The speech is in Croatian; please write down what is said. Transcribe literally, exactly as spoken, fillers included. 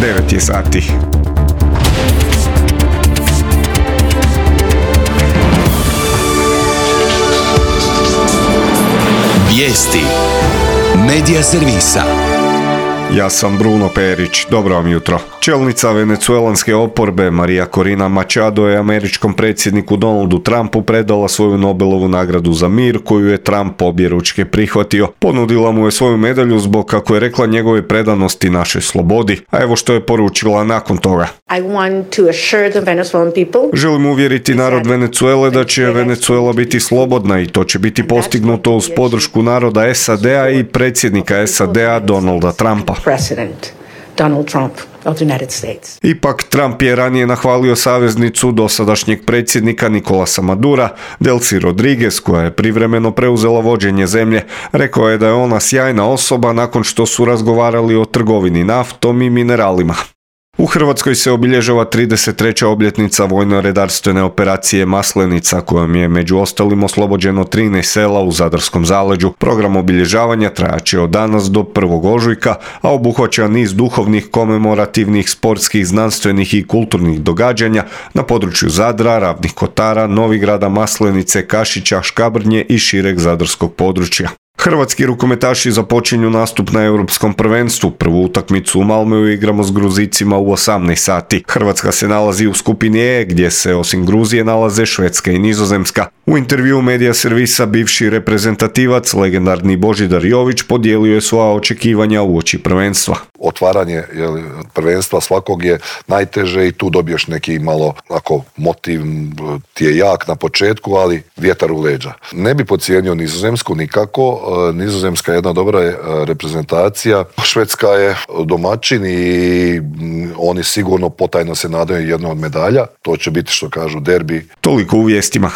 devet je sati. Vijesti Medija servisa. Ja sam Bruno Perić, dobro vam jutro. Čelnica venecuelanske oporbe Maria Corina Machado je američkom predsjedniku Donaldu Trumpu predala svoju Nobelovu nagradu za mir, koju je Trump objeručke prihvatio. Ponudila mu je svoju medalju zbog, kako je rekla, njegove predanosti našoj slobodi. A evo što je poručila nakon toga. I want to assure the Venezuelan people. Želim uvjeriti narod Venecuele da će Venecuela biti slobodna i to će biti postignuto uz podršku naroda S A D-a i predsjednika S A D-a Donalda Trumpa. President Donald Trump of the United States. Ipak, Trump je ranije nahvalio saveznicu dosadašnjeg predsjednika Nicolasa Madura, Delcy Rodriguez, koja je privremeno preuzela vođenje zemlje. Rekao je da je ona sjajna osoba nakon što su razgovarali o trgovini naftom i mineralima. U Hrvatskoj se obilježava trideset treća obljetnica vojno-redarstvene operacije Maslenica, kojom je među ostalim oslobođeno trinaest sela u Zadarskom zaleđu. Program obilježavanja trajaće od danas do prvog ožujka, a obuhvaća niz duhovnih, komemorativnih, sportskih, znanstvenih i kulturnih događanja na području Zadra, Ravnih Kotara, Novigrada, Maslenice, Kašića, Škabrnje i šireg zadarskog područja. Hrvatski rukometaši započinju nastup na Europskom prvenstvu. Prvu utakmicu u Malmöu igramo s Gruzicima u osamnaest sati. Hrvatska se nalazi u skupini E, gdje se osim Gruzije nalaze Švedska i Nizozemska. U intervjuu Medija servisa bivši reprezentativac, legendarni Božidar Jović, podijelio je svoja očekivanja uoči prvenstva. Otvaranje jel, prvenstva svakog je najteže i tu dobiješ neki malo ako motiv ti je jak na početku, ali vjetar u leđa. Ne bi podcijenio Nizozemsku nikako. Nizozemska je jedna dobra reprezentacija. Švedska je domaćin i oni sigurno potajno se nadaju jedno od medalja. To će biti, što kažu, derbi. Toliko u vijestima.